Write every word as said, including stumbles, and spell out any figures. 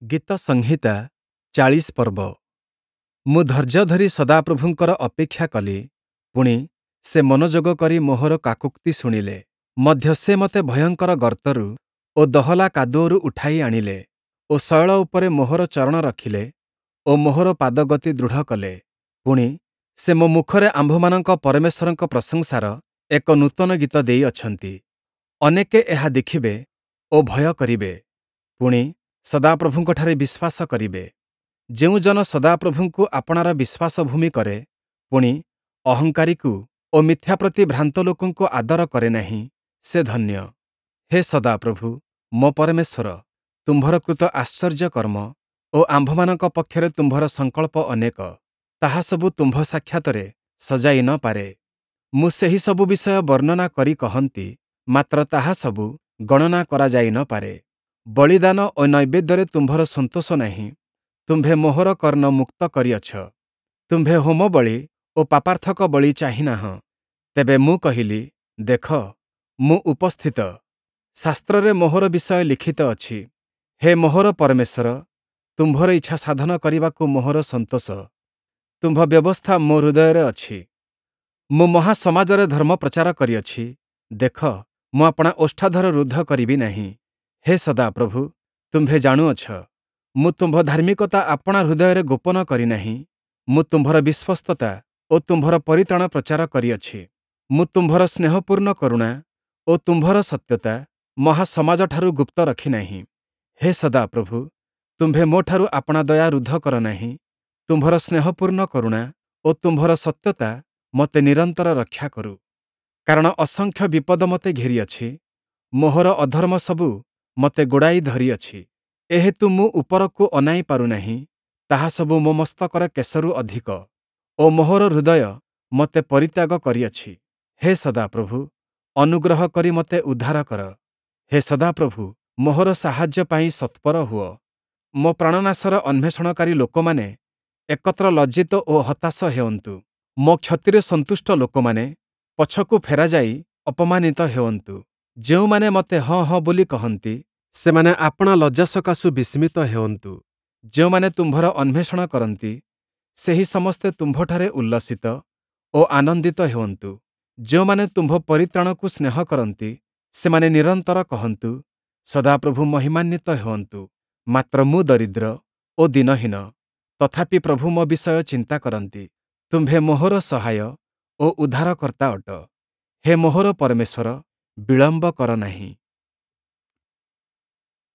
ଗୀତସଂହିତା ଚାଳିଶ ପର୍ବ। ମୁଁ ଧୈର୍ଯ୍ୟ ଧରି ସଦାପ୍ରଭୁଙ୍କର ଅପେକ୍ଷା କଲି, ପୁଣି, ସେ ମନୋଯୋଗ କରି ମୋହର କାକୋକ୍ତି ଶୁଣିଲେ। ମଧ୍ୟ ସେ ମୋତେ ଭୟଙ୍କର ଗର୍ତ୍ତରୁ ଓ ଦହଲା କାଦୁଅରୁ ଉଠାଇ ଆଣିଲେ ଓ ଶୈଳ ଉପରେ ମୋହର ଚରଣ ରଖିଲେ ଓ ମୋହର ପାଦଗତି ଦୃଢ଼ କଲେ। ପୁଣି, ସେ ମୋ ମୁଖରେ ଆମ୍ଭମାନଙ୍କ ପରମେଶ୍ୱରଙ୍କ ପ୍ରଶଂସାର ଏକ ନୂତନ ଗୀତ ଦେଇଅଛନ୍ତି। ଅନେକେ ଏହା ଦେଖିବେ ଓ ଭୟ କରିବେ, ପୁଣି, ସଦାପ୍ରଭୁଙ୍କଠାରେ ବିଶ୍ୱାସ କରିବେ। ଯେଉଁ ଜନ ସଦାପ୍ରଭୁଙ୍କୁ ଆପଣାର ବିଶ୍ୱାସଭୂମି କରେ, ପୁଣି, ଅହଙ୍କାରୀକୁ ଓ ମିଥ୍ୟା ପ୍ରତି ଭ୍ରାନ୍ତ ଲୋକଙ୍କୁ ଆଦର କରେ ନାହିଁ, ସେ ଧନ୍ୟ। ହେ ସଦାପ୍ରଭୁ, ମୋ ପରମେଶ୍ୱର, ତୁମ୍ଭର କୃତ ଆଶ୍ଚର୍ଯ୍ୟ କର୍ମ ଓ ଆମ୍ଭମାନଙ୍କ ପକ୍ଷରେ ତୁମ୍ଭର ସଂକଳ୍ପ ଅନେକ, ତାହା ସବୁ ତୁମ୍ଭ ସାକ୍ଷାତରେ ସଜାଇ ନ ପାରେ। ମୁଁ ସେହି ସବୁ ବିଷୟ ବର୍ଣ୍ଣନା କରି କହନ୍ତି, ମାତ୍ର ତାହା ସବୁ ଗଣନା କରାଯାଇ ନ ପାରେ। ବଳିଦାନ ଓ ନୈବେଦ୍ୟରେ ତୁମ୍ଭର ସନ୍ତୋଷ ନାହିଁ, ତୁମ୍ଭେ ମୋହର କର୍ଣ୍ଣ ମୁକ୍ତ କରିଅଛ। ତୁମ୍ଭେ ହୋମବଳି ଓ ପାପାର୍ଥକ ବଳି ଚାହିଁ ନାହଁ। ତେବେ ମୁଁ କହିଲି, ଦେଖ, ମୁଁ ଉପସ୍ଥିତ, ଶାସ୍ତ୍ରରେ ମୋହର ବିଷୟ ଲିଖିତ ଅଛି। ହେ ମୋହର ପରମେଶ୍ୱର, ତୁମ୍ଭର ଇଚ୍ଛା ସାଧନ କରିବାକୁ ମୋହର ସନ୍ତୋଷ, ତୁମ୍ଭ ବ୍ୟବସ୍ଥା ମୋ ହୃଦୟରେ ଅଛି। ମୁଁ ମହାସମାଜରେ ଧର୍ମ ପ୍ରଚାର କରିଅଛି। ଦେଖ, ମୁଁ ଆପଣା ଓଷ୍ଠାଧର ରୁଦ୍ଧ କରିବି ନାହିଁ। ହେ ସଦାପ୍ରଭୁ, ତୁମ୍ଭେ ଜାଣୁଅଛ। ମୁଁ ତୁମ୍ଭ ଧାର୍ମିକତା ଆପଣା ହୃଦୟରେ ଗୋପନ କରି ନାହିଁ। ମୁଁ ତୁମ୍ଭର ବିଶ୍ୱସ୍ତତା ଓ ତୁମ୍ଭର ପରିତ୍ରାଣ ପ୍ରଚାର କରିଅଛି। ମୁଁ ତୁମ୍ଭର ସ୍ନେହପୂର୍ଣ୍ଣ କରୁଣା ଓ ତୁମ୍ଭର ସତ୍ୟତା ମହାସମାଜଠାରୁ ଗୁପ୍ତ ରଖି ନାହିଁ। ହେ ସଦାପ୍ରଭୁ, ତୁମ୍ଭେ ମୋଠାରୁ ଆପଣା ଦୟା ରୁଦ୍ଧ କର ନାହିଁ। ତୁମ୍ଭର ସ୍ନେହପୂର୍ଣ୍ଣ କରୁଣା ଓ ତୁମ୍ଭର ସତ୍ୟତା ମୋତେ ନିରନ୍ତର ରକ୍ଷା କରୁ। କାରଣ ଅସଂଖ୍ୟ ବିପଦ ମୋତେ ଘେରିଅଛି, ମୋହର ଅଧର୍ମ ସବୁ ମୋତେ ଗୋଡ଼ାଇ ଧରିଅଛି। ଏହେତୁ ମୁଁ ଉପରକୁ ଅନାଇ ପାରୁନାହିଁ, ତାହା ସବୁ ମୋ ମସ୍ତକର କେଶରୁ ଅଧିକ ଓ ମୋହର ହୃଦୟ ମୋତେ ପରିତ୍ୟାଗ କରିଅଛି। ହେ ସଦାପ୍ରଭୁ, ଅନୁଗ୍ରହ କରି ମୋତେ ଉଦ୍ଧାର କର। ହେ ସଦାପ୍ରଭୁ, ମୋହର ସାହାଯ୍ୟ ପାଇଁ ତତ୍ପର ହୁଅ। ମୋ ପ୍ରାଣନାଶର ଅନ୍ୱେଷଣକାରୀ ଲୋକମାନେ ଏକତ୍ର ଲଜ୍ଜିତ ଓ ହତାଶ ହେଉନ୍ତୁ। ମୋ କ୍ଷତିରେ ସନ୍ତୁଷ୍ଟ ଲୋକମାନେ ପଛକୁ ଫେରାଯାଇ ଅପମାନିତ ହେଉନ୍ତୁ। ଯେଉଁମାନେ ମୋତେ ହଁ ହଁ ବୋଲି କହନ୍ତି, ସେମାନେ ଆପଣା ଲଜ୍ଜା ସକାଶୁ ବିସ୍ମିତ ହେଉନ୍ତୁ। ଯେଉଁମାନେ ତୁମ୍ଭର ଅନ୍ୱେଷଣ କରନ୍ତି, ସେହି ସମସ୍ତେ ତୁମ୍ଭଠାରେ ଉଲ୍ଲସିତ ଓ ଆନନ୍ଦିତ ହେଉନ୍ତୁ। ଯେଉଁମାନେ ତୁମ୍ଭ ପରିତ୍ରାଣକୁ ସ୍ନେହ କରନ୍ତି, ସେମାନେ ନିରନ୍ତର କହନ୍ତୁ, ସଦାପ୍ରଭୁ ମହିମାନ୍ୱିତ ହେଉନ୍ତୁ। ମାତ୍ର ମୁଁ ଦରିଦ୍ର ଓ ଦୀନହୀନ, ତଥାପି ପ୍ରଭୁ ମୋ ବିଷୟ ଚିନ୍ତା କରନ୍ତି। ତୁମ୍ଭେ ମୋହର ସହାୟ ଓ ଉଦ୍ଧାରକର୍ତ୍ତା ଅଟ। ହେ ମୋହର ପରମେଶ୍ୱର, ବିଳମ୍ବ କର ନାହିଁ।